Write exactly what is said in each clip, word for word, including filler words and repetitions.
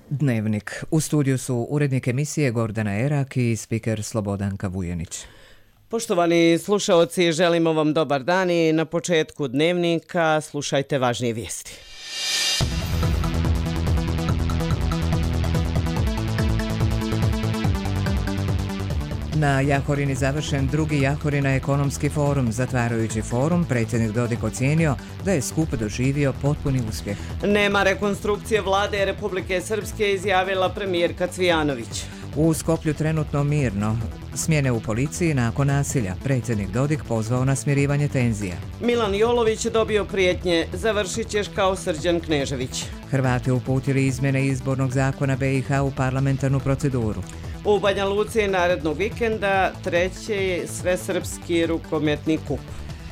Dnevnik. U studiju su urednik emisije Gordana Erak i spiker Slobodanka Vujenić. Poštovani slušaoci, želimo vam dobar dan i na početku Dnevnika slušajte važnije vijesti. Na Jahorini završen drugi Jahorina ekonomski forum. Zatvarajući forum, predsjednik Dodik ocijenio da je skup doživio potpuni uspjeh. Nema rekonstrukcije vlade Republike Srpske, izjavila premijerka Cvijanović. U Skoplju trenutno mirno. Smjene u policiji nakon nasilja. Predsjednik Dodik pozvao na smirivanje tenzija. Milan Jolović dobio prijetnje. Završit ćeš kao Srđan Knežević. Hrvati uputili izmjene izbornog zakona B i H u parlamentarnu proceduru. U Banja Luci narednog vikenda treći svesrpski rukometni kup.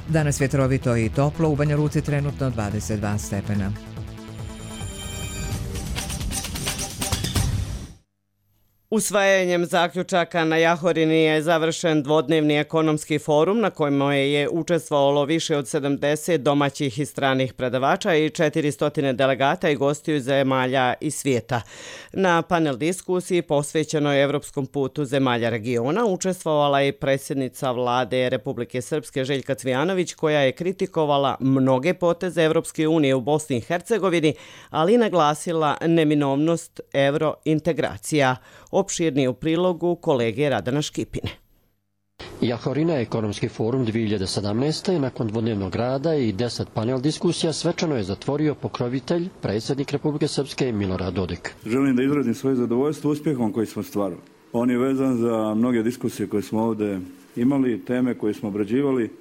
Danas vjetrovito i toplo, u Banja Luci trenutno dvadeset dva stepena. Usvajanjem zaključaka na Jahorini je završen dvodnevni ekonomski forum na kojem je učestvovalo više od sedamdeset domaćih i stranih predavača i četiristo delegata i gostiju zemalja i svijeta. Na panel diskusiji posvećenoj evropskom putu zemalja regiona učestvovala je predsjednica vlade Republike Srpske Željka Cvijanović, koja je kritikovala mnoge poteze Evropske unije u Bosni i Hercegovini, ali naglasila neminovnost evrointegracija. Opširni u prilogu kolege Radana Škipine. Jahorina ekonomski forum dvije hiljade sedamnaeste. nakon dvodnevnog rada i deset panel diskusija svečano je zatvorio pokrovitelj, predsjednik Republike Srpske Milorad Dodik. Želim da izrazim svoje zadovoljstvo uspjehom koji smo stvarali. On je vezan za mnoge diskusije koje smo ovdje imali, teme koje smo obrađivali,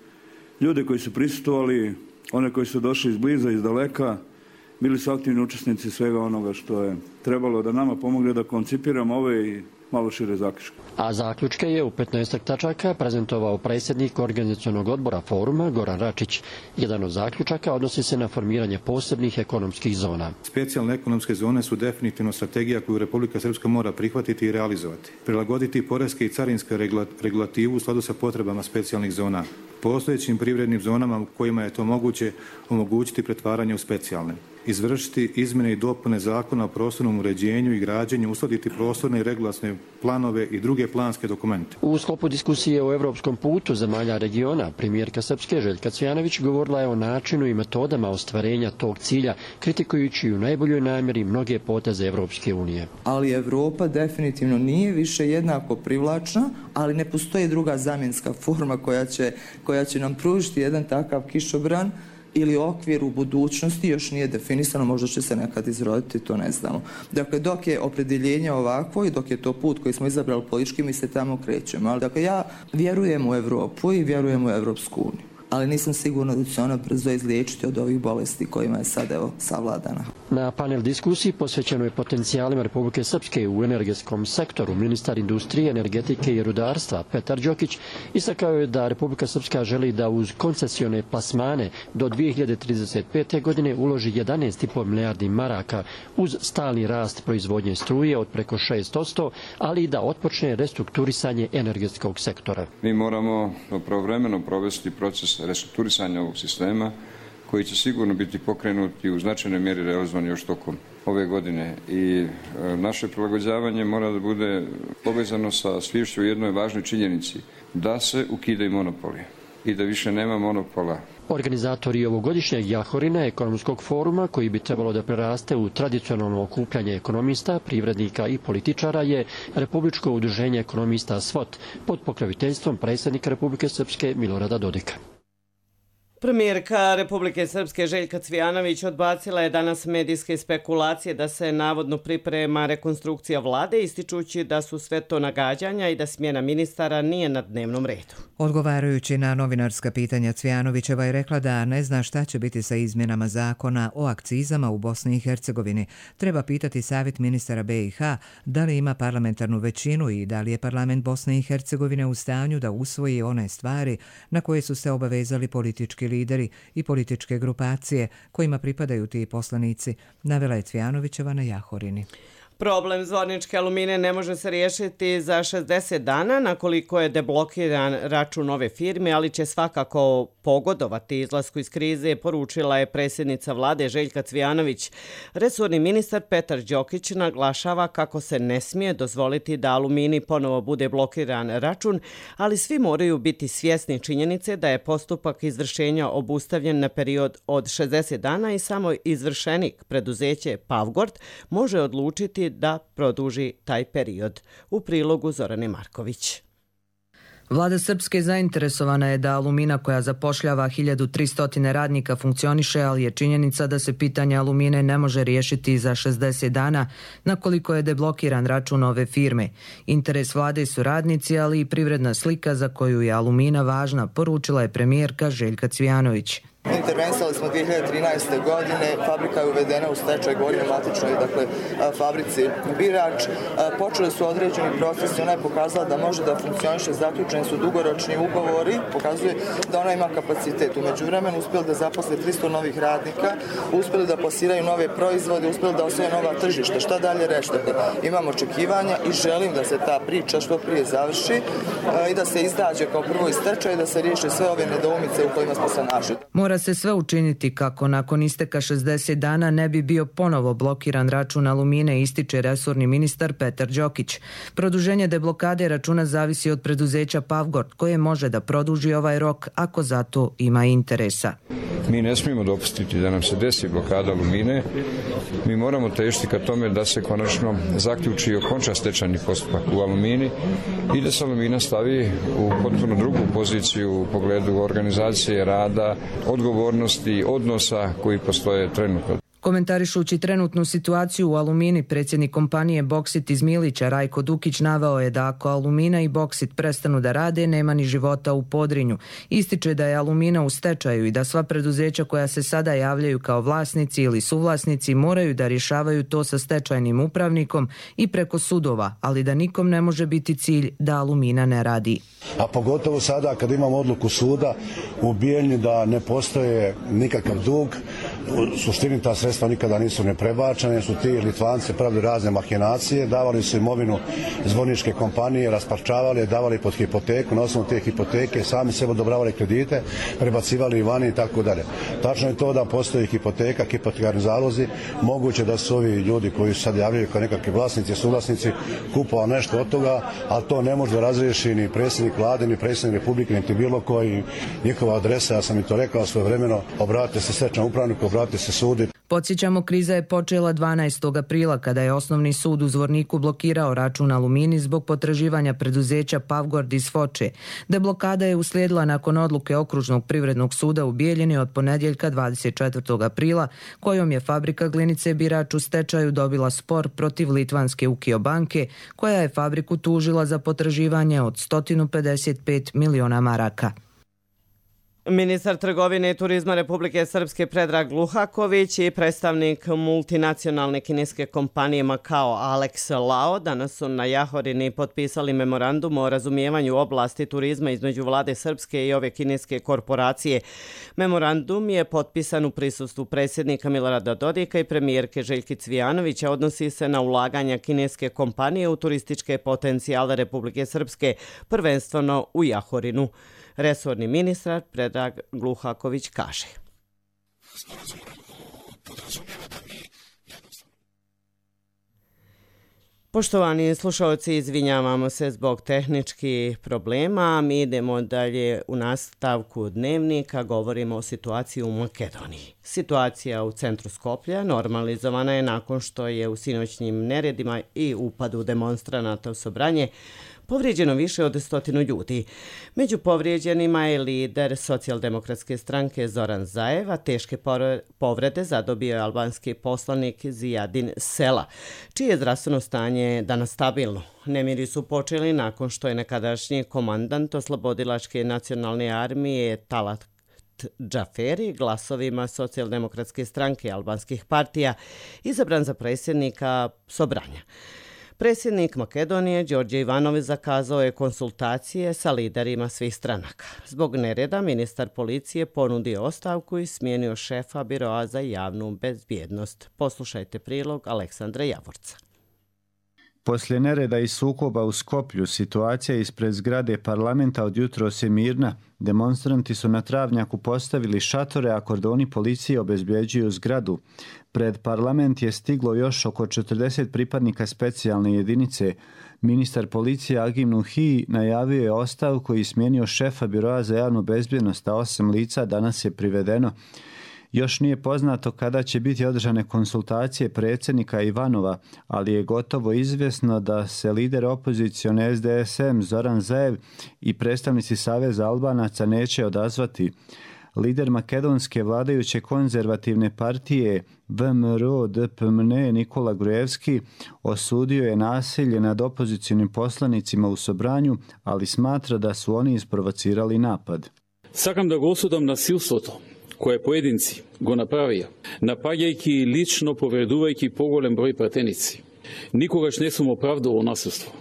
ljude koji su prisustvovali, one koji su došli iz bliza, iz daleka, bili su aktivni učesnici svega onoga što je trebalo da nama pomogne da koncipiramo ove i malo šire zaključke. A zaključke je u petnaest tačaka prezentovao predsjednik organizacionog odbora foruma Goran Račić. Jedan od zaključaka odnosi se na formiranje posebnih ekonomskih zona. Specijalne ekonomske zone su definitivno strategija koju Republika Srpska mora prihvatiti i realizovati. Prilagoditi poreske i carinske regulativu u skladu sa potrebama specijalnih zona. Postojećim privrednim zonama u kojima je to moguće omogućiti pretvaranje u specijalne. Izvršiti izmjene i dopune zakona o prostornom uređenju i građenju, uskladiti prostorne i regulatorne planove i druge planske dokumente. U sklopu diskusije o evropskom putu zemalja regiona, premijerka Srpske Željka Cvijanović govorila je o načinu i metodama ostvarenja tog cilja, kritikujući u najboljoj namjeri mnoge poteze Evropske unije. Ali Evropa definitivno nije više jednako privlačna, ali ne postoji druga zamjenska forma koja će, koja će nam pružiti jedan takav kišobran ili okvir u budućnosti, još nije definisano, možda će se nekad izroditi, to ne znamo. Dakle, dok je opredjeljenje ovakvo i dok je to put koji smo izabrali politički, mi se tamo krećemo. Ali, dakle, ja vjerujem u Evropu i vjerujem u Evropsku uniju, ali nisam sigurna da će ona brzo izliječiti od ovih bolesti kojima je sad evo savladana. Na panel diskusiji posvećenoj potencijalima Republike Srpske u energetskom sektoru, ministar industrije, energetike i rudarstva Petar Đokić istakao je da Republika Srpska želi da uz koncesione plasmane do dvije hiljade trideset pete. godine uloži jedanaest i po milijardi maraka uz stalni rast proizvodnje struje od preko šest posto, ali i da otpočne restrukturisanje energetskog sektora. Mi moramo pravovremeno provesti proces restrukturisanja ovog sistema koji će sigurno biti pokrenuti u značajnoj mjeri realizovan još tokom ove godine i e, naše prilagođavanje mora da bude povezano sa sviješću o jednoj važnoj činjenici, da se ukidaju monopoli i da više nema monopola. Organizatori ovogodišnjeg Jahorina ekonomskog foruma, koji bi trebalo da preraste u tradicionalno okupljanje ekonomista, privrednika i političara, je Republičko udruženje ekonomista SWOT pod pokroviteljstvom predsjednika Republike Srpske Milorada Dodika. Premijerka Republike Srpske Željka Cvijanović odbacila je danas medijske spekulacije da se navodno priprema rekonstrukcija vlade, ističući da su sve to nagađanja i da smjena ministara nije na dnevnom redu. Odgovarajući na novinarska pitanja, Cvijanovićeva je rekla da ne zna šta će biti sa izmjenama zakona o akcizama u Bosni i Hercegovini. Treba pitati savjet ministara B i H da li ima parlamentarnu većinu i da li je parlament Bosne i Hercegovine u stanju da usvoji one stvari na koje su se obavezali politički lideri i političke grupacije kojima pripadaju ti poslanici, navela je Cvijanovićeva na Jahorini. Problem Zvorničke Alumine ne može se riješiti za šezdeset dana, na koliko je deblokiran račun ove firme, ali će svakako pogodovati izlasku iz krize, poručila je predsjednica vlade Željka Cvijanović. Resorni ministar Petar Đokić naglašava kako se ne smije dozvoliti da Alumini ponovo bude blokiran račun, ali svi moraju biti svjesni činjenice da je postupak izvršenja obustavljen na period od šezdeset dana i samo izvršenik, preduzeće Pavgord, može odlučiti da produži taj period. U prilogu Zorane Marković. Vlada Srpske zainteresovana je da Alumina, koja zapošljava hiljadu tristo radnika, funkcioniše, ali je činjenica da se pitanje Alumine ne može riješiti za šezdeset dana, na koliko je deblokiran račun ove firme. Interes vlade su radnici, ali i privredna slika za koju je Alumina važna, poručila je premijerka Željka Cvijanović. Intervenisali smo dvije hiljade trinaeste. godine, fabrika je uvedena u stečaj, govorim o matičnoj, dakle, fabrici Birač. Počeli su određeni procesi, ona je pokazala da može da funkcioniše, zaključeni su dugoročni ugovori, pokazuje da ona ima kapacitet. U međuvremenu uspjeli da zaposle tristo novih radnika, uspjeli da plasiraju nove proizvode, uspjeli da osvoje nova tržišta. Šta dalje reći? Imam očekivanja i želim da se ta priča što prije završi i da se izađe kao prvo iz stečaja i da se riješe sve ove nedoumice u kojima smo se našli. Mora se sve učiniti kako nakon isteka šezdeset dana ne bi bio ponovo blokiran račun Alumine, ističe resorni ministar Petar Đokić. Produženje deblokade računa zavisi od preduzeća Pavgord, koje može da produži ovaj rok ako za to ima interesa. Mi ne smijemo dopustiti da nam se desi blokada Alumine. Mi moramo težiti ka tome da se konačno zaključi i okonča stečajni postupak u Alumini i da se Alumina stavi u potpuno drugu poziciju u pogledu organizacije rada, odgovornosti, odnosa koji postoje trenutno. Komentarišući trenutnu situaciju u Alumini, predsjednik kompanije Boksit iz Milića Rajko Dukić naveo je da ako Alumina i Boksit prestanu da rade, nema ni života u Podrinju. Ističe da je Alumina u stečaju i da sva preduzeća koja se sada javljaju kao vlasnici ili suvlasnici moraju da rješavaju to sa stečajnim upravnikom i preko sudova, ali da nikom ne može biti cilj da Alumina ne radi. A pogotovo sada kad imamo odluku suda u Bijeljni da ne postoje nikakav dug, u suštini ta sredstva nikada nisu ne prebačene, su ti Litvanci pravili razne mahinacije, davali su imovinu zvorničke kompanije, rasparčavali, davali pod hipoteku, na osnovu te hipoteke sami sebe odobravali kredite, prebacivali i vani i tako dalje. Tačno je to da postoji hipoteka, hipotekarni zalozi, moguće da su ovi ljudi koji su sad javljaju kao nekakvi vlasnici, suvlasnici, kupovali nešto od toga, ali to ne može da razriješi ni predsjednik vlade, ni predsjednik Republike, niti bilo koji. Njihova adresa, ja sam i to rekao svojevremeno, obratite se stečajnom upravniku, obratite se sudu. Podsjećamo, kriza je počela dvanaestog aprila kada je Osnovni sud u Zvorniku blokirao račun Alumini zbog potraživanja preduzeća Pavgord iz Foče. Deblokada je uslijedila nakon odluke Okružnog privrednog suda u Bijeljini od ponedjeljka dvadeset četvrtog aprila, kojom je fabrika glinice Birač u stečaju dobila spor protiv litvanske Ukio banke, koja je fabriku tužila za potraživanje od sto pedeset pet miliona maraka. Ministar trgovine i turizma Republike Srpske Predrag Luhaković i predstavnik multinacionalne kineske kompanije Makao Alex Lao danas su na Jahorini potpisali memorandum o razumijevanju oblasti turizma između vlade Srpske i ove kineske korporacije. Memorandum je potpisan u prisustvu predsjednika Milorada Dodika i premijerke Željke Cvijanović, a odnosi se na ulaganja kineske kompanije u turističke potencijale Republike Srpske, prvenstveno u Jahorinu. Resorni ministar Predrag Luhaković kaže. Poštovani slušalci, izvinjavamo se zbog tehničkih problema. Mi idemo dalje u nastavku dnevnika. Govorimo o situaciji u Makedoniji. Situacija u centru Skoplja normalizovana je nakon što je u sinoćnim neredima i upadu demonstranata u Sobranje povrijeđeno više od stotinu ljudi. Među povrijeđenima je lider socijaldemokratske stranke Zoran Zaev, a teške povrede zadobio je albanski poslanik Zijadin Sela, čije je zdravstveno stanje danas stabilno. Nemiri su počeli nakon što je nekadašnji komandant oslobodilačke nacionalne armije Talat Džaferi glasovima socijaldemokratske stranke albanskih partija izabran za predsjednika Sobranja. Predsjednik Makedonije Đorđe Ivanović zakazao je konsultacije sa liderima svih stranaka. Zbog nereda ministar policije ponudio ostavku i smijenio šefa Biroa za javnu bezbjednost. Poslušajte prilog Aleksandra Javorca. Poslije nereda i sukoba u Skoplju, situacija ispred zgrade parlamenta od jutros je mirna. Demonstranti su na travnjaku postavili šatore, a kordoni policije obezbjeđuju zgradu. Pred parlament je stiglo još oko četrdeset pripadnika specijalne jedinice. Ministar policije Agim Nuhi najavio je ostavku i smijenio šefa Biroa za javnu bezbjednost, a osam lica danas je privedeno. Još nije poznato kada će biti održane konsultacije predsjednika Ivanova, ali je gotovo izvjesno da se lider opozicione S D S M Zoran Zaev i predstavnici Saveza Albanaca neće odazvati. Lider makedonske vladajuće konzervativne partije V M R O D P M N Nikola Grujevski osudio je nasilje nad opozicionim poslanicima u Sobranju, ali smatra da su oni isprovocirali napad. Sakam da go osudam nasilството koje pojedinci go napravio, napadajući lično povredujući pogolem broj pratenici. Nikogaš ne sam opravdao nasilstvo,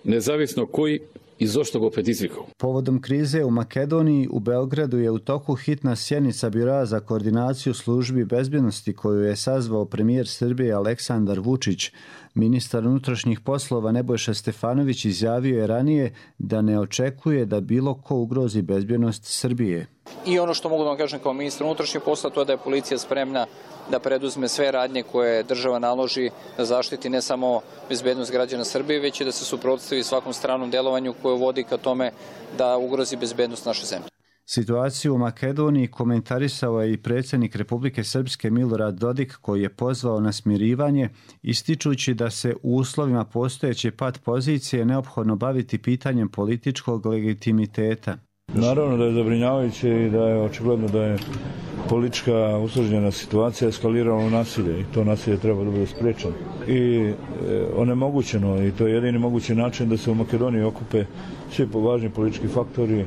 nezavisno koji i zašto go predizvikao. Povodom krize u Makedoniji, u Beogradu je u toku hitna sjednica Biroa za koordinaciju službi bezbjednosti koju je sazvao premijer Srbije Aleksandar Vučić. Ministar unutrašnjih poslova Nebojša Stefanović izjavio je ranije da ne očekuje da bilo ko ugrozi bezbjednost Srbije. I ono što mogu da vam kažem kao ministar unutrašnjih poslova, to je da je policija spremna da preduzme sve radnje koje država naloži da zaštiti ne samo bezbednost građana Srbije, već i da se suprotstavi svakom stranom delovanju koje vodi ka tome da ugrozi bezbednost naše zemlje. Situaciju u Makedoniji komentarisao je i predsjednik Republike Srpske Milorad Dodik, koji je pozvao na smirivanje, ističući da se u uslovima postojeće pad pozicije neophodno baviti pitanjem političkog legitimiteta. Naravno da je zabrinjavajuće i da je očigledno da je politička usložnjena situacija eskalirala u nasilje i to nasilje treba da bude spriječeno i e, onemogućeno i to je jedini mogući način da se u Makedoniji okupe svi važni politički faktori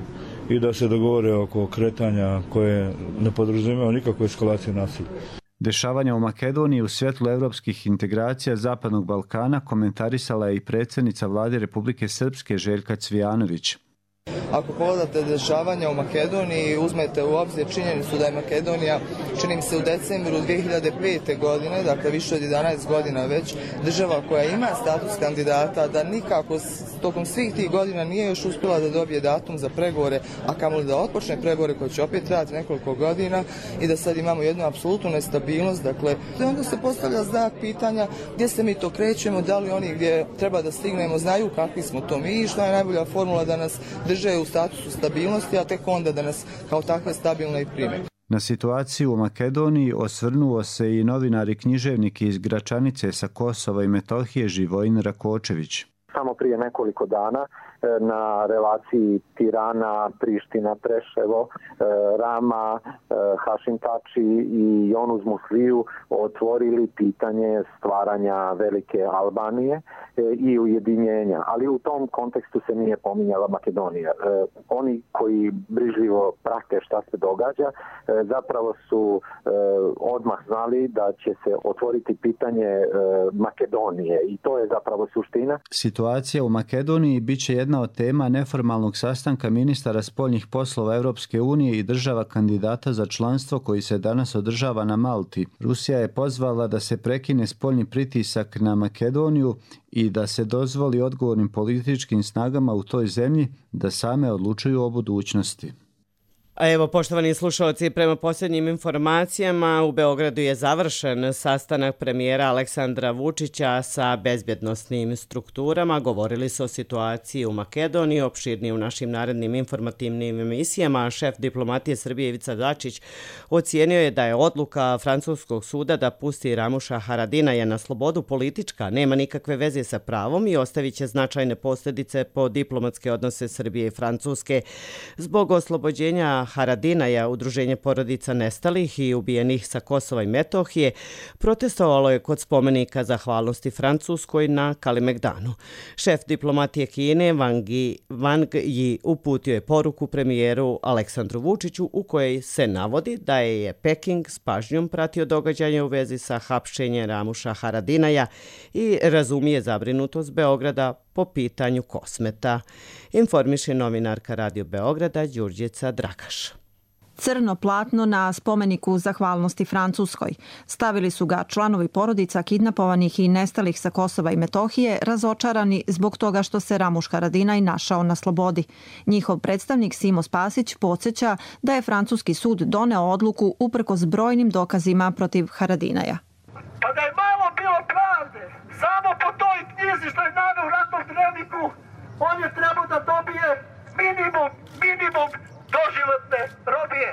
i da se dogovore oko kretanja koje ne podrazumijevaju nikakvu eskalaciju nasilja. Dešavanja u Makedoniji u svjetlu evropskih integracija Zapadnog Balkana komentarisala je i predsjednica vlade Republike Srpske Željka Cvijanović. Ako pogledate dešavanja u Makedoniji i uzmete u obzir činjenicu da je Makedonija, čini mi se u decembru dvije hiljade pete. godine, dakle više od jedanaest godina već, država koja ima status kandidata, da nikako tokom svih tih godina nije još uspjela da dobije datum za pregovore, a kamoli da otpočne pregovore koje će opet trajati nekoliko godina i da sad imamo jednu apsolutnu nestabilnost. Dakle, onda se postavlja znak pitanja gdje se mi to krećemo, da li oni gdje treba da stignemo znaju kakvi smo to mi i što je najbolja formula da nas drže u statusu stabilnosti, a tek onda da nas kao takve stabilne i prime. Na situaciju u Makedoniji osvrnuo se i novinar i književnik iz Gračanice sa Kosova i Metohije Živojin Rakočević. Samo prije nekoliko dana na relaciji Tirana, Priština, Preševo, Rama, Hašim Tači i Jonuz Musliju otvorili pitanje stvaranja velike Albanije i ujedinjenja, ali u tom kontekstu se nije pominjala Makedonija. Oni koji brižljivo prate šta se događa, zapravo su odmah znali da će se otvoriti pitanje Makedonije i to je zapravo suština. Situacija u Makedoniji bit će jedna od tema neformalnog sastanka ministara spoljnih poslova Europske unije i država kandidata za članstvo koji se danas održava na Malti. Rusija je pozvala da se prekine spoljni pritisak na Makedoniju i da se dozvoli odgovornim političkim snagama u toj zemlji da same odlučuju o budućnosti. A evo, poštovani slušalci, prema posljednjim informacijama u Beogradu je završen sastanak premijera Aleksandra Vučića sa bezbjednosnim strukturama. Govorili su o situaciji u Makedoniji, opširnije u našim narednim informativnim emisijama. Šef diplomatije Srbije Ivica Dačić ocijenio je da je odluka francuskog suda da pusti Ramuša Haradinaja na slobodu politička, nema nikakve veze sa pravom i ostavit će značajne posljedice po diplomatske odnose Srbije i Francuske. Zbog oslobođenja Haradinaja, Udruženje porodica nestalih i ubijenih sa Kosova i Metohije, protestovalo je kod spomenika zahvalnosti Francuskoj na Kalemegdanu. Šef diplomatije Kine Wang Yi, Wang Yi uputio je poruku premijeru Aleksandru Vučiću u kojoj se navodi da je Peking s pažnjom pratio događanje u vezi sa hapšenjem Ramuša Haradinaja i razumije zabrinutost Beograda po pitanju Kosmeta, informiše novinarka Radio Beograda Đurđica Dragaš. crno platno na spomeniku zahvalnosti Francuskoj. Stavili su ga članovi porodica kidnapovanih i nestalih sa Kosova i Metohije, razočarani zbog toga što se Ramuš Haradinaj našao na slobodi. Njihov predstavnik Simo Spasić podsjeća da je francuski sud doneo odluku uprkos brojnim dokazima protiv Haradinaja. Pa da je malo bilo pravde, samo po toj knjizi što je naveo u ratnom dnevniku, on je trebao da dobije minimum, minimum doživotne robije.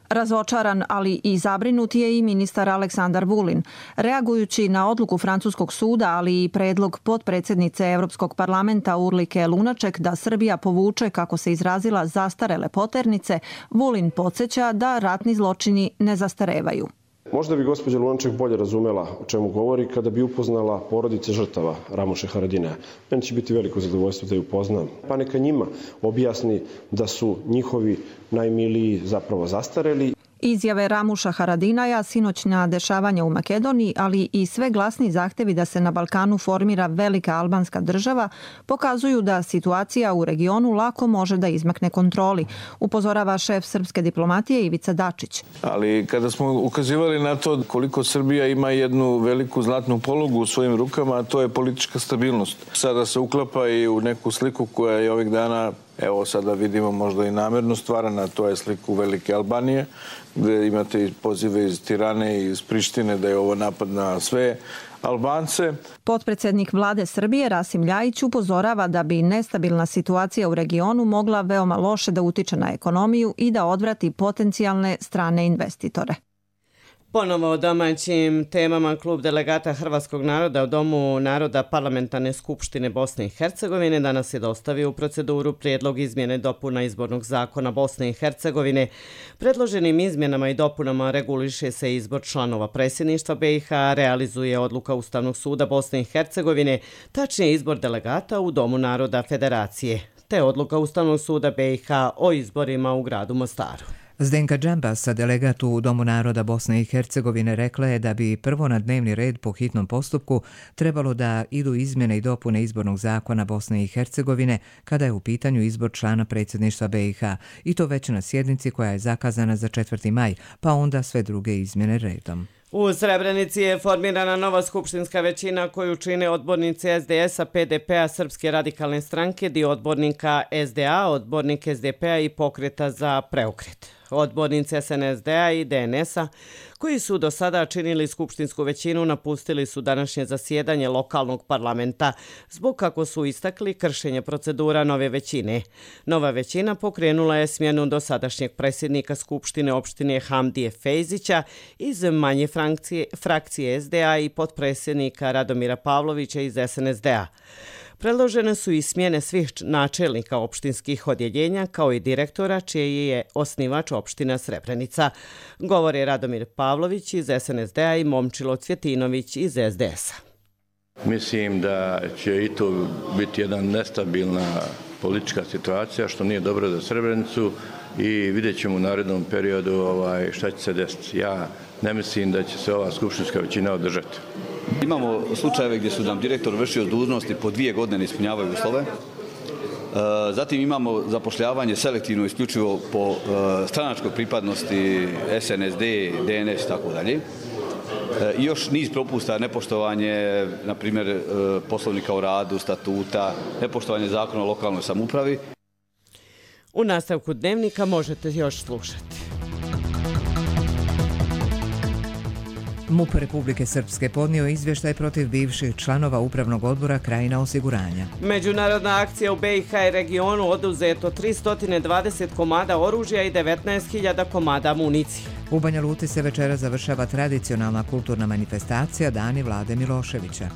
Razočaran, ali i zabrinut je i ministar Aleksandar Vulin. Reagujući na odluku francuskog suda, ali i predlog potpredsjednice Europskog parlamenta Urlike Lunaček da Srbija povuče, kako se izrazila, zastarele poternice, Vulin podsjeća da ratni zločini ne zastarevaju. Možda bi gospođa Lunaček bolje razumela o čemu govori kada bi upoznala porodice žrtava Ramuša Haradinaja. Meni će biti veliko zadovoljstvo da ju upoznam. Pa neka njima objasni da su njihovi najmiliji zapravo zastareli. Izjave Ramuša Haradinaja, sinoćna dešavanja u Makedoniji, ali i sve glasni zahtevi da se na Balkanu formira velika albanska država, pokazuju da situacija u regionu lako može da izmakne kontroli, upozorava šef srpske diplomatije Ivica Dačić. Ali kada smo ukazivali na to koliko Srbija ima jednu veliku zlatnu polugu u svojim rukama, a to je politička stabilnost. Sada se uklapa i u neku sliku koja je ovih dana, evo sada vidimo možda i namjerno stvarana, to je sliku Velike Albanije, gdje imate i pozive iz Tirane i iz Prištine da je ovo napad na sve Albance. Potpredsjednik vlade Srbije Rasim Ljajić upozorava da bi nestabilna situacija u regionu mogla veoma loše da utiče na ekonomiju i da odvrati potencijalne strane investitore. Ponovo o domaćim temama klub delegata Hrvatskog naroda u Domu naroda Parlamentarne skupštine Bosne i Hercegovine danas je dostavio u proceduru prijedlog izmjene dopuna izbornog zakona Bosne i Hercegovine. Predloženim izmjenama i dopunama reguliše se izbor članova predsjedništva B i H, realizuje odluka Ustavnog suda Bosne i Hercegovine, tačnije izbor delegata u Domu naroda Federacije, te odluka Ustavnog suda B i H o izborima u gradu Mostaru. Zdenka Džambasa, delegat u Domu naroda Bosne i Hercegovine, rekla je da bi prvo na dnevni red po hitnom postupku trebalo da idu izmjene i dopune izbornog zakona Bosne i Hercegovine kada je u pitanju izbor člana predsjedništva B i H, i to već na sjednici koja je zakazana za četvrti maj, pa onda sve druge izmjene redom. U Srebrenici je formirana nova skupštinska većina koju čine odbornici S D S-a, P D P-a, Srpske radikalne stranke, dio odbornika S D A, odbornik S D P-a i Pokreta za preokret. Odbornici S N S D-a i D N S-a, koji su do sada činili skupštinsku većinu, napustili su današnje zasjedanje lokalnog parlamenta zbog, kako su istakli, kršenja procedura nove većine. Nova većina pokrenula je smjenu dosadašnjeg predsjednika Skupštine opštine Hamdije Fejzića iz manje frakcije, frakcije S D A i potpredsjednika Radomira Pavlovića iz S N S D-a. Predložene su i smjene svih načelnika opštinskih odjeljenja kao i direktora čiji je osnivač opština Srebrenica. Govore Radomir Pavlović iz S N S D-a i Momčilo Cvjetinović iz S D S-a. Mislim da će i to biti jedna nestabilna politička situacija što nije dobro za Srebrenicu i vidjet ćemo u narednom periodu ovaj, šta će se desiti. Ja ne mislim da će se ova skupštinska većina održati. Imamo slučajeve gdje su nam direktor vršio dužnosti po dvije godine ne ispunjavaju uslove. Zatim imamo zapošljavanje selektivno isključivo po stranačkoj pripadnosti S N S D, D N S i tako dalje. I još niz propusta, nepoštovanje, na primjer, poslovnika o radu, statuta, nepoštovanje zakona o lokalnoj samoupravi. U nastavku dnevnika možete još slušati. MUP Republike Srpske podnio izvještaj protiv bivših članova Upravnog odbora Krajina osiguranja. Međunarodna akcija u B i H i regionu oduzeto tristo dvadeset komada oružja i devetnaest hiljada komada municije. U Banja Luci se večera završava tradicionalna kulturna manifestacija Dani Vlade Miloševića.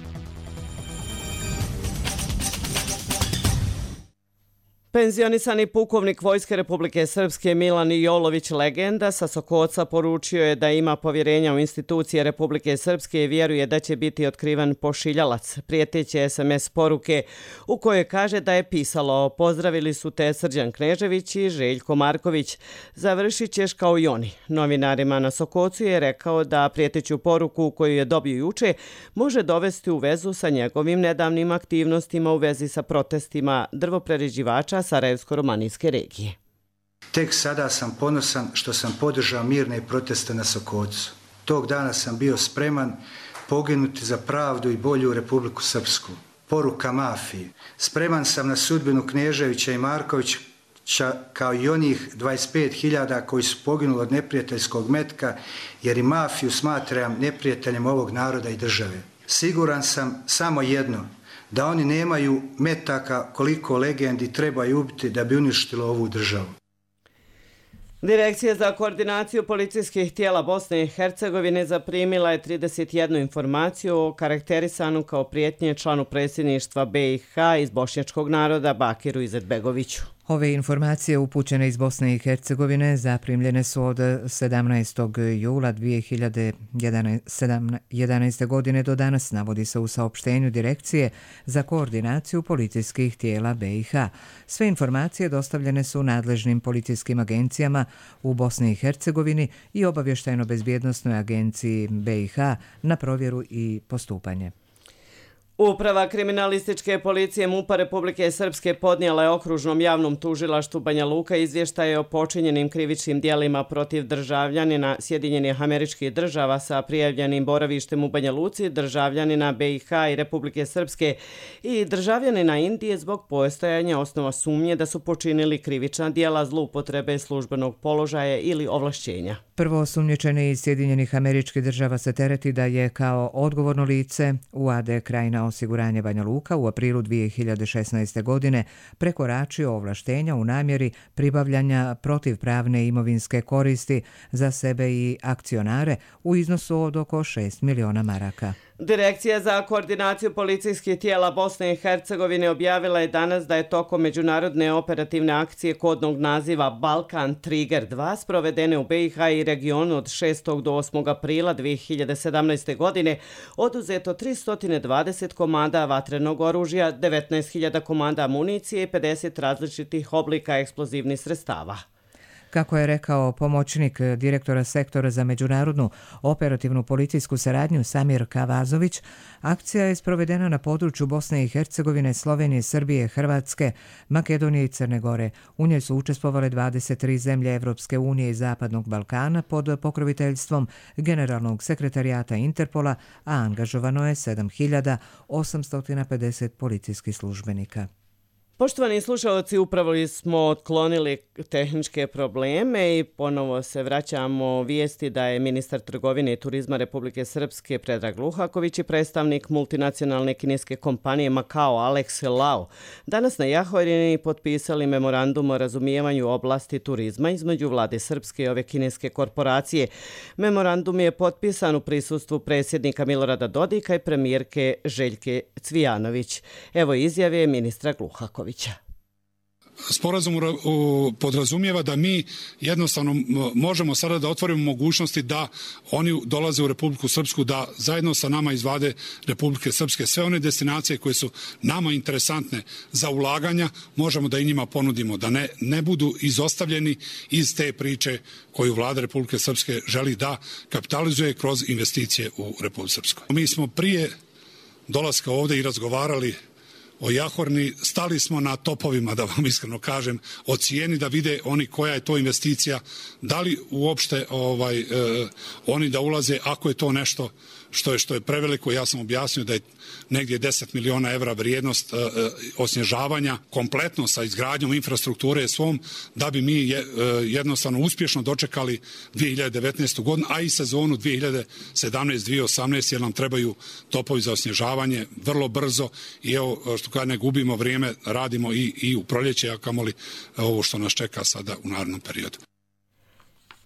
Penzionisani pukovnik Vojske Republike Srpske Milan Jolović, legenda sa Sokoca, poručio je da ima povjerenja u institucije Republike Srpske i vjeruje da će biti otkrivan pošiljalac. Prijeteće S M S poruke u kojoj kaže da je pisalo: pozdravili su te Srđan Knežević i Željko Marković. Završit ćeš kao i oni. Novinarima na Sokocu je rekao da prijeteću poruku koju je dobio juče može dovesti u vezu sa njegovim nedavnim aktivnostima u vezi sa protestima drvoprerađivača Sarajevsko-romanijske regije. Tek sada sam ponosan što sam podržao mirne proteste na Sokocu. Tog dana sam bio spreman poginuti za pravdu i bolju Republiku Srpsku. Poruka mafiji. Spreman sam na sudbinu Kneževića i Markovića kao i onih dvadeset pet hiljada koji su poginuli od neprijateljskog metka, jer i mafiju smatram neprijateljem ovog naroda i države. Siguran sam samo jedno, da oni nemaju metaka koliko legendi trebaju ubiti da bi uništilo ovu državu. Direkcija za koordinaciju policijskih tijela Bosne i Hercegovine zaprimila je trideset jednu informaciju o karakterisanu kao prijetnje članu predsjedništva B i H iz bošnjačkog naroda Bakiru Izetbegoviću. Ove informacije upućene iz Bosne i Hercegovine zaprimljene su od sedamnaestog jula dvije hiljade jedanaeste. godine do danas, navodi se u saopštenju Direkcije za koordinaciju policijskih tijela B i H. Sve informacije dostavljene su nadležnim policijskim agencijama u Bosni i Hercegovini i obavještajno-bezbjednosnoj agenciji B i H na provjeru i postupanje. Uprava kriminalističke policije MUP-a Republike Srpske podnijela je okružnom javnom tužilaštvu Banja Luka izvještaje o počinjenim krivičnim dijelima protiv državljanina Sjedinjenih Američkih Država sa prijavljenim boravištem u Banja Luci, državljanina B i H i Republike Srpske i državljanina Indije zbog postojanja osnova sumnje da su počinili krivična dijela zloupotrebe službenog položaja ili ovlašćenja. Prvo osumnjičeni iz Sjedinjenih Američkih Država se tereti da je kao odgovorno lice U A D Krajina osiguranje Banja Luka u aprilu dvije hiljade šesnaeste. godine prekoračio ovlaštenja u namjeri pribavljanja protivpravne imovinske koristi za sebe i akcionare u iznosu od oko šest miliona maraka. Direkcija za koordinaciju policijskih tijela Bosne i Hercegovine objavila je danas da je tokom međunarodne operativne akcije kodnog naziva Balkan Trigger dva sprovedene u B i H i regionu od šestog do osmog aprila dvije hiljade sedamnaeste. godine oduzeto tristo dvadeset komada vatrenog oružja, devetnaest hiljada komada municije i pedeset različitih oblika eksplozivnih sredstava. Kako je rekao pomoćnik direktora sektora za međunarodnu operativnu policijsku saradnju Samir Kavazović, akcija je sprovedena na području Bosne i Hercegovine, Slovenije, Srbije, Hrvatske, Makedonije i Crne Gore. U njoj su učestvovale dvadeset tri zemlje Evropske unije i Zapadnog Balkana pod pokroviteljstvom Generalnog sekretarijata Interpola, a angažovano je sedam hiljada osamsto pedeset policijskih službenika. Poštovani slušalci, upravo smo otklonili tehničke probleme i ponovo se vraćamo vijesti da je ministar trgovine i turizma Republike Srpske Predrag Luhaković i predstavnik multinacionalne kineske kompanije Macao Alex Lau danas na Jahorini potpisali memorandum o razumijevanju oblasti turizma između vlade Srpske i ove kineske korporacije. Memorandum je potpisan u prisustvu predsjednika Milorada Dodika i premijerke Željke Cvijanović. Evo izjave ministra Luhakovića. Sporazum podrazumijeva da mi jednostavno možemo sada da otvorimo mogućnosti da oni dolaze u Republiku Srpsku, da zajedno sa nama iz vlade Republike Srpske sve one destinacije koje su nama interesantne za ulaganja možemo da i njima ponudimo, da ne, ne budu izostavljeni iz te priče koju vlada Republike Srpske želi da kapitalizuje kroz investicije u Republiku Srpsku. Mi smo prije dolaska ovdje i razgovarali o Jahorni, stali smo na topovima, da vam iskreno kažem, o cijeni, da vide oni koja je to investicija, da li uopšte ovaj, eh, oni da ulaze, ako je to nešto što je, što je preveliko. Ja sam objasnio da je negdje deset miliona evra vrijednost eh, osnježavanja kompletno sa izgradnjom infrastrukture svom, da bi mi je, eh, jednostavno uspješno dočekali dvije hiljade devetnaestu. godinu, a i sezonu dvije hiljade sedamnaeste. dvije hiljade osamnaeste. jer nam trebaju topovi za osnježavanje vrlo brzo i evo, što kada ne gubimo vrijeme, radimo i, i u proljeće, a kamoli ovo što nas čeka sada u narednom periodu.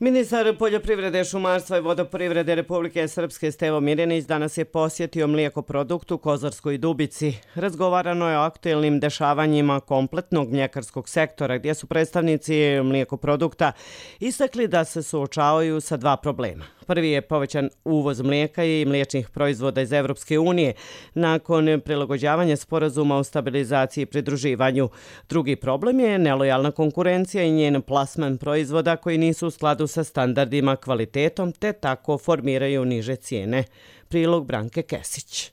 Ministar poljoprivrede, šumarstva i vodoprivrede Republike Srpske Stevo Mirjanić danas je posjetio mlijekoproduktu Kozarskoj Dubici. Razgovarano je o aktuelnim dešavanjima kompletnog mljekarskog sektora, gdje su predstavnici mlijekoprodukta istakli da se suočavaju sa dva problema. Prvi je povećan uvoz mlijeka i mliječnih proizvoda iz Evropske unije nakon prilagođavanja sporazuma o stabilizaciji i pridruživanju. Drugi problem je nelojalna konkurencija i njen plasman proizvoda koji nisu u skladu sa standardima, kvalitetom te tako formiraju niže cijene. Prilog Branke Kesić.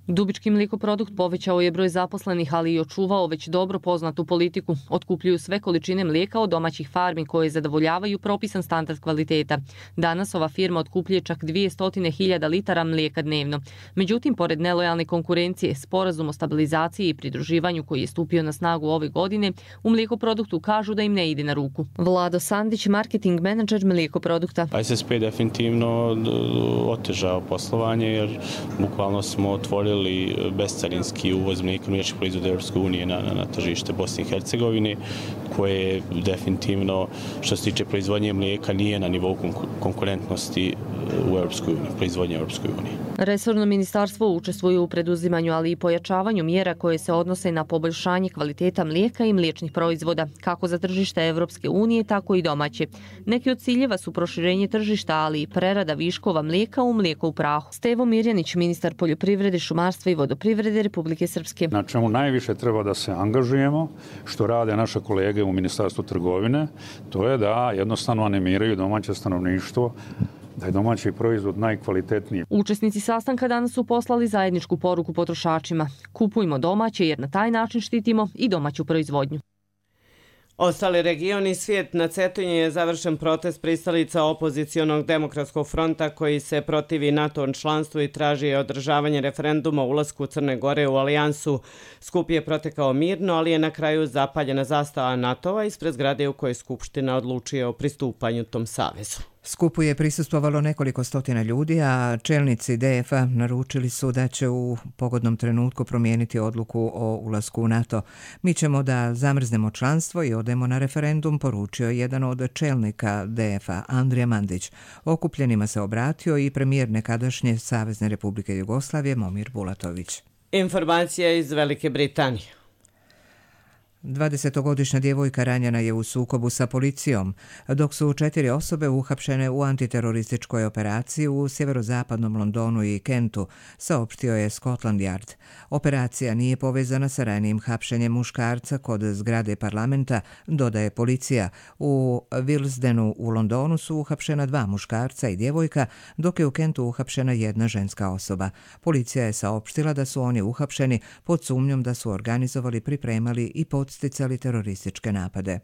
Dubički mljekoprodukt povećao je broj zaposlenih, ali i očuvao već dobro poznatu politiku. Otkupljuju sve količine mlijeka od domaćih farmi koje zadovoljavaju propisan standard kvaliteta. Danas ova firma otkupljuje čak dvjesto hiljada litara mlijeka dnevno. Međutim, pored nelojalne konkurencije, sporazum o stabilizaciji i pridruživanju koji je stupio na snagu ove godine, u mlijekoproduktu kažu da im ne ide na ruku. Vlado Sandić, marketing menadžer mlijekoprodukta. S S P definitivno otežao poslovanje jer bukvalno smo otvorili bescarinski uvoz mlijeka mliječnih proizvoda Europske unije na, na, na tržište Bosne i Hercegovine, koje definitivno što se tiče proizvodnje mlijeka nije na nivou konkurentnosti u Europskoj uniji, proizvodnje Europskoj uniji. Resorno ministarstvo učestvuje u preduzimanju, ali i pojačavanju mjera koje se odnose na poboljšanje kvaliteta mlijeka i mliječnih proizvoda, kako za tržište Europske unije, tako i domaće. Neki od ciljeva su proširenje tržišta, ali i prerada viškova mlijeka u mlijeko u prahu. Stevo Mirjanić, ministar poljoprivrede, šumarstva i vodoprivrede Republike Srpske. Na čemu najviše treba da se angažujemo, što rade naše kolege u Ministarstvu trgovine, to je da jednostavno animiraju domaće stanovništvo da je domaći proizvod najkvalitetniji. Učesnici sastanka danas su poslali zajedničku poruku potrošačima. Kupujmo domaće jer na taj način štitimo i domaću proizvodnju. Ostali regioni svijet. Na Cetinju je završen protest pristalica opozicionog demokratskog fronta koji se protivi NATO članstvu i traži održavanje referenduma o ulasku Crne Gore u alijansu. Skup je protekao mirno, ali je na kraju zapaljena zastava NATO-a ispred zgrade u kojoj Skupština odlučuje o pristupanju tom savezu. Skupu je prisustvovalo nekoliko stotina ljudi, a čelnici D F A naručili su da će u pogodnom trenutku promijeniti odluku o ulasku u NATO. Mi ćemo da zamrznemo članstvo i odemo na referendum, poručio jedan od čelnika D F A, Andrija Mandić. Okupljenima se obratio i premijer nekadašnje Savezne Republike Jugoslavije, Momir Bulatović. Informacija iz Velike Britanije. dvadesetogodišnja djevojka ranjena je u sukobu sa policijom, dok su četiri osobe uhapšene u antiterorističkoj operaciji u sjeverozapadnom Londonu i Kentu, saopštio je Scotland Yard. Operacija nije povezana sa ranijim hapšenjem muškarca kod zgrade parlamenta, dodaje policija. U Willesdenu u Londonu su uhapšena dva muškarca i djevojka, dok je u Kentu uhapšena jedna ženska osoba. Policija je saopštila da su oni uhapšeni pod sumnjom da su organizovali, pripremali i podsticali terorističke napade.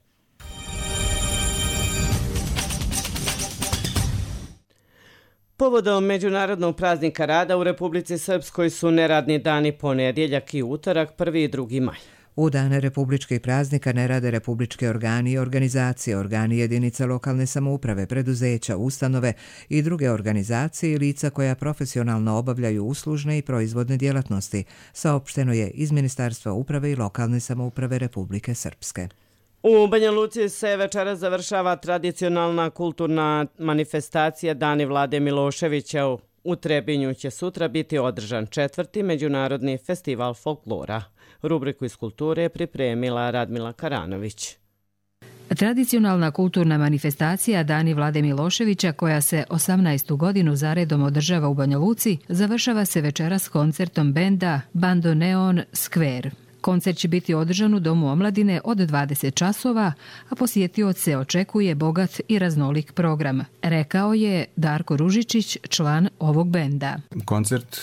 Povodom Međunarodnog praznika rada u Republici Srpskoj su neradni dani ponedjeljak i utorak, prvi i drugi maj. U dane republičkih praznika ne rade republički organi i organizacije, organi jedinica lokalne samouprave, preduzeća, ustanove i druge organizacije i lica koja profesionalno obavljaju uslužne i proizvodne djelatnosti, saopšteno je iz Ministarstva uprave i lokalne samouprave Republike Srpske. U Banja Luci se večeras završava tradicionalna kulturna manifestacija Dani Vlade Miloševića. U Trebinju će sutra biti održan četvrti Međunarodni festival folklora. Rubriku iz kulture je pripremila Radmila Karanović. Tradicionalna kulturna manifestacija Dani Vlade Miloševića, koja se osamnaestu godinu zaredom održava u Banja Luci, završava se večeras koncertom benda Bandoneon Square. Koncert će biti održan u Domu omladine od dvadeset časova, a posjetioce očekuje bogat i raznolik program, rekao je Darko Ružičić, član ovog benda. Koncert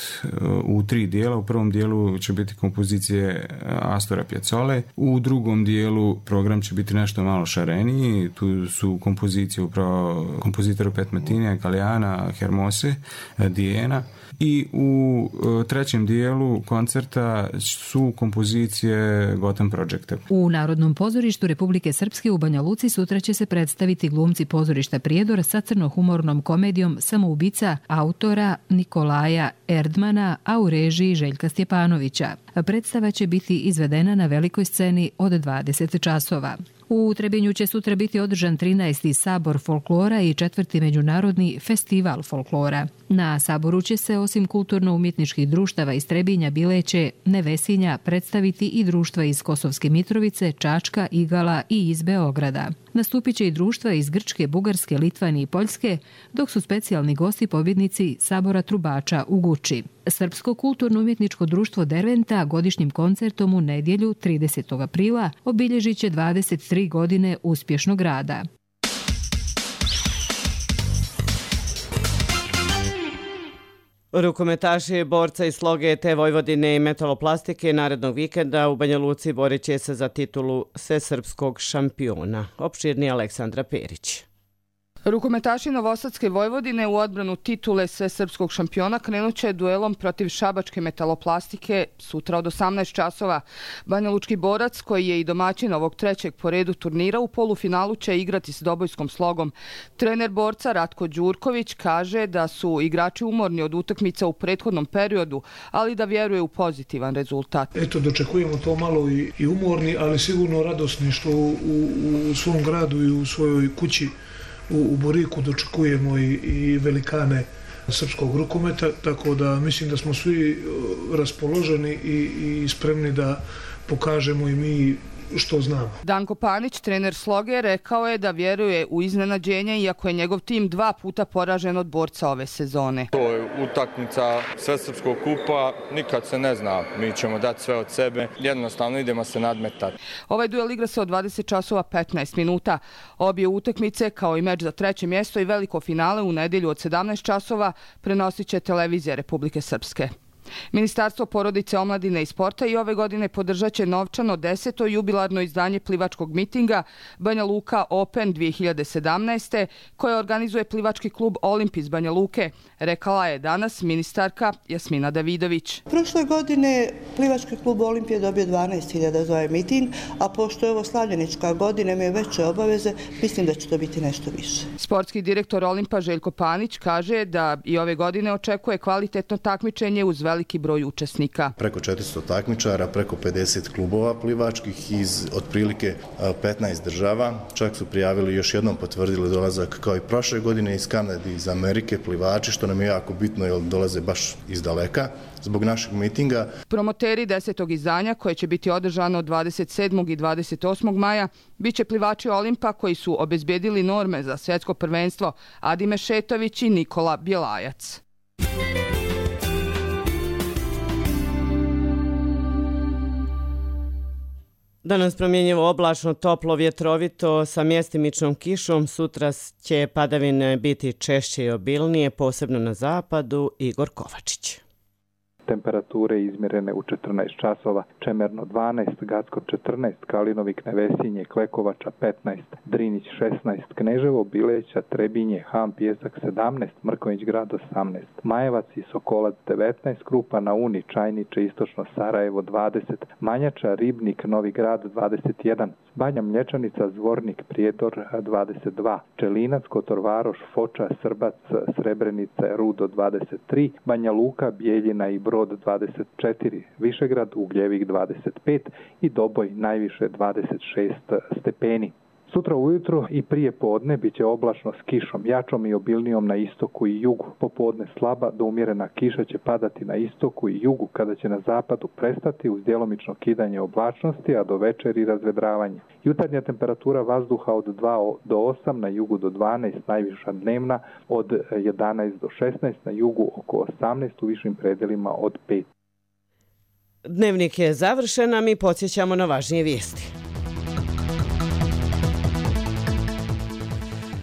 u tri dijela. U prvom dijelu će biti kompozicije Astora Piazzole, u drugom dijelu program će biti nešto malo šareniji. Tu su kompozicije upravo kompozitora Pet Martinija, Galeana, Hermose, Dijena. I u trećem dijelu koncerta su kompozicije Gotham Projecta. U Narodnom pozorištu Republike Srpske u Banja Luci sutra će se predstaviti glumci pozorišta Prijedor sa crnohumornom komedijom Samoubica autora Nikolaja Erdmana, a u režiji Željka Stjepanovića. Predstava će biti izvedena na velikoj sceni od dvadeset časova. U Trebinju će sutra biti održan trinaesti Sabor folklora i četvrti Međunarodni festival folklora. Na Saboru će se osim kulturno-umjetničkih društava iz Trebinja, Bileće, Nevesinja predstaviti i društva iz Kosovske Mitrovice, Čačka, Igala i iz Beograda. Nastupit će i društva iz Grčke, Bugarske, Litvanije i Poljske, dok su specijalni gosti pobjednici Sabora trubača u Guči. Srpsko kulturno-umjetničko društvo Derventa godišnjim koncertom u nedjelju tridesetog aprila obilježit će dvadeset tri godine uspješnog rada. Rukometaši borca iz Sloge te Vojvodine i metaloplastike narednog vikenda u Banja Luci borit će se za titulu svesrpskog šampiona. Opširni Aleksandra Perić. Rukometaši Novosadske Vojvodine u odbranu titule svesrpskog šampiona krenut će duelom protiv šabačke metaloplastike sutra od osamnaest časova. Banjalučki borac, koji je i domaćin ovog trećeg po redu turnira, u polufinalu će igrati s Dobojskom Slogom. Trener borca Ratko Đurković kaže da su igrači umorni od utakmica u prethodnom periodu, ali da vjeruje u pozitivan rezultat. Eto, dočekujemo to malo i, i umorni, ali sigurno radosni što u, u, u svom gradu i u svojoj kući u Boriku dočekujemo i, i velikane srpskog rukometa, tako da mislim da smo svi raspoloženi i, i spremni da pokažemo i mi što znamo. Danko Panić, trener Sloge, rekao je da vjeruje u iznenađenje, iako je njegov tim dva puta poražen od borca ove sezone. To je utakmica svesrpskog kupa, nikad se ne zna, mi ćemo dati sve od sebe, jednostavno idemo se nadmetati. Ovaj duel igra se od dvadeset časova petnaest minuta. Obje utakmice, kao i meč za treće mjesto i veliko finale u nedjelju od sedamnaest časova, prenosit će televizija Republike Srpske. Ministarstvo porodice, omladine i sporta i ove godine podržat će novčano deseto jubilarno izdanje plivačkog mitinga Banja Luka Open dvije hiljade sedamnaeste. koje organizuje plivački klub Olimpis Banja Luke, rekala je danas ministarka Jasmina Davidović. Prošle godine plivački klub Olimpije dobio dvanaest hiljada za ovaj miting, a pošto je ovo slavljenička godina, imaju veće obaveze, mislim da će to biti nešto više. Sportski direktor Olimpa Željko Panić kaže da i ove godine očekuje kvalitetno takmičenje uz veliki broj učesnika. Preko četiristo takmičara, preko pedeset klubova plivačkih iz otprilike petnaest država. Čak su prijavili, još jednom potvrdili dolazak kao i prošle godine iz Kanade, iz Amerike plivači, što nam je jako bitno jer dolaze baš iz daleka zbog našeg mitinga. Promoteri desetog izdanja, koje će biti održano dvadeset sedmog i dvadeset osmog maja, bit će plivači Olimpa koji su obezbedili norme za svjetsko prvenstvo Adime Šetović i Nikola Bjelajac. Danas promjenjivo oblačno, toplo, vjetrovito sa mjestimičnom kišom. Sutra će padavine biti češće i obilnije, posebno na zapadu. Igor Kovačić. Temperature izmjerene u četrnaest časova, Čemerno dvanaest, Gacko četrnaest, Kalinovik, Nevesinje, Klekovača petnaest, Drinić šesnaest, Kneževo, Bileća, Trebinje, Ham, Pijesak sedamnaest, Mrkonjić grad osamnaest, Majevac i Sokolac devetnaest, Krupa na Uni, Čajniče, Istočno Sarajevo dvadeset, Manjača, Ribnik, Novi grad dvadeset jedan, Banja Mlječanica, Zvornik, Prijedor dvadeset dva, Čelinac, Kotorvaroš, Foča, Srbac, Srebrenica, Rudo dvadeset tri, Banja Luka, Bijeljina i Brod dvadeset četiri, Višegrad, Ugljevik dvadeset pet i Doboj najviše dvadeset šest stepeni. Sutra ujutro i prije podne bit će oblačno s kišom, jačom i obilnijom na istoku i jugu. Popodne slaba do umjerena kiša će padati na istoku i jugu, kada će na zapadu prestati uz djelomično kidanje oblačnosti, a do večeri razvedravanje. Jutarnja temperatura vazduha od dva do osam, na jugu do dvanaest, najviša dnevna od jedanaest do šesnaest, na jugu oko osamnaest, u višim predelima od pet. Dnevnik je završen, a mi podsjećamo na važnije vijesti.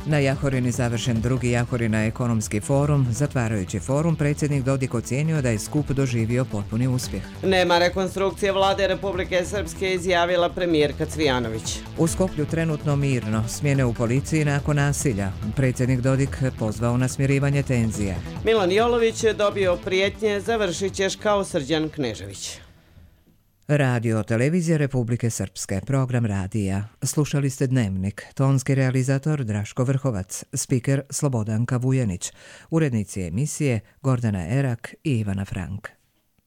Na Jahorini završen drugi Jahorina ekonomski forum. Zatvarajući forum, predsjednik Dodik ocijenio da je skup doživio potpuni uspjeh. Nema rekonstrukcije vlade Republike Srpske, izjavila premijerka Cvijanović. U Skoplju trenutno mirno, smjene u policiji nakon nasilja. Predsjednik Dodik pozvao na smirivanje tenzija. Milan Jolović je dobio prijetnje, završit ćeš kao Srđan Knežević. Radio Televizija Republike Srpske, program radija. Slušali ste Dnevnik, tonski realizator Draško Vrhovac, spiker Slobodanka Vujanić, urednici emisije Gordana Erak i Ivana Frank.